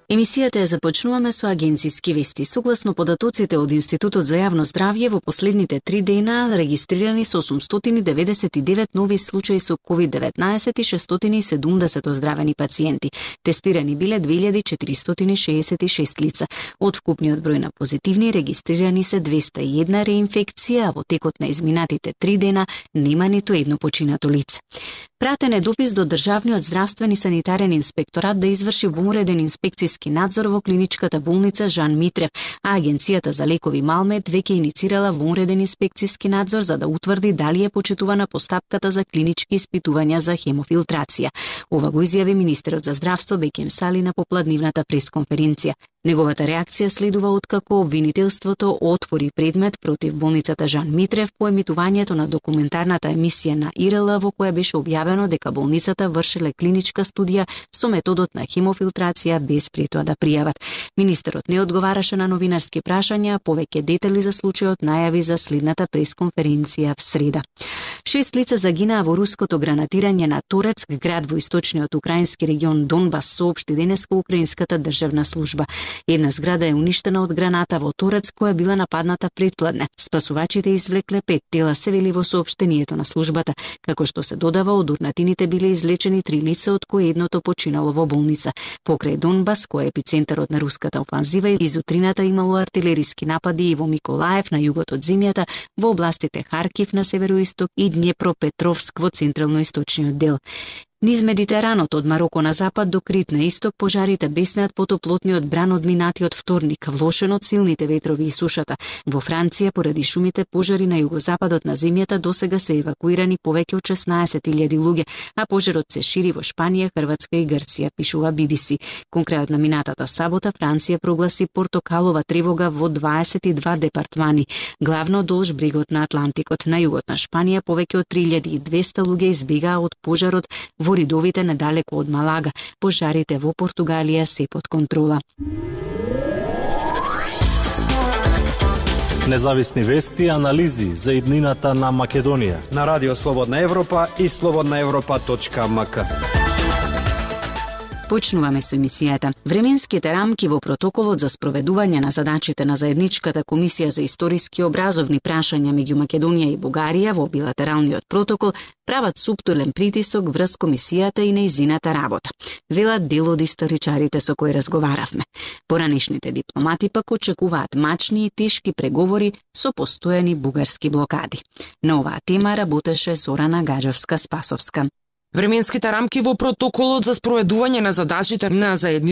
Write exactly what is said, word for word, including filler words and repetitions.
Емисијата ја започнуваме со агенциски вести. Согласно податоците од Институтот за јавно здравје, во последните три дена регистрирани се осумстотини деведесет и девет нови случаи со ковид деветнаесет и шестстотини и седумдесет оздравени пациенти. Тестирани биле две илјади четиристотини шеесет и шест лица. Од вкупниот број на позитивни регистрирани се двеста и една реинфекција, а во текот на изминатите три дена нема ниту едно починато лице. Пратен е допис до Државниот здравствен и санитарен инспекторат да изврши вонреден инспекцијски надзор во клиничката болница Жан Митрев, а Агенцијата за лекови Малмет веќе иницирала вонреден инспекцијски надзор за да утврди дали е почитувана постапката за клинички испитувања за хемофилтрација. Ова го изјави министерот за здравство Бекем Сали на попладнивната пресконференција. Неговата реакција следува откако обвинителството отвори предмет против болницата Жан Митрев по емитувањето на документарната емисија на И Р Л во која беше објавено дека болницата вршеле клиничка студија со методот на хемофилтрација без пред тоа да пријават. Министерот не одговараше на новинарски прашања, повеќе детали за случајот најави за следната пресконференција в среда. Шест лица загинаа во руското гранатирање на Торецк, град во источниот украински регион Донбас, соопшти денеска украинската државна служба. Една зграда е уништена од граната во Торецк која била нападната претпладне. Спасувачите извлекле пет тела, се вели во соопштението на службата, како што се додава од урнатините биле извлечени три лица, од кои едното починало во болница. Покрај Донбас, кој е епицентарот на руската офанзива, изутрината имало артилериски напади и во Миколаев на југот од земјата, во областите Харкив на североисток и Днепропетровск во централно-источниот дел. Низ Медитеранот од Мароко на запад до Крит на исток пожарите беснеат потоплотниот бран од минатиот вторник, влошен од силните ветрови и сушата. Во Франција, поради шумите, пожари на југозападот на земјата досега се евакуирани повеќе од шеснаесет илјади луѓе, а пожарот се шири во Шпанија, Хрватска и Грција, пишува Би Би Си. Кон крајот на минатата сабота, Франција прогласи портокалова тревога во дваесет и два департмани, главно долж брегот на Атлантикот. На југот на Шпанија повеќе од три илјади и двесте луѓе избегаа од пожарот во ридовите недалеку од Малага. Пожарите во Португалија се под контрола. Независни вести и анализи за иднината на Македонија на Радио Слободна Европа и слободна европа точка ем ка. Почнуваме со емисијата. Временските рамки во протоколот за спроведување на задачите на заедничката комисија за историски образовни прашања меѓу Македонија и Бугарија во билатералниот протокол прават суптилен притисок врз комисијата и нејзината работа, велат дел од историчарите со кои разговаравме. Поранешните дипломати пак очекуваат мачни и тешки преговори со постојани бугарски блокади. На оваа тема работеше Зорана Гаджевска-Спасовска. Временските рамки во протоколот за спроведување на задачите на заедничката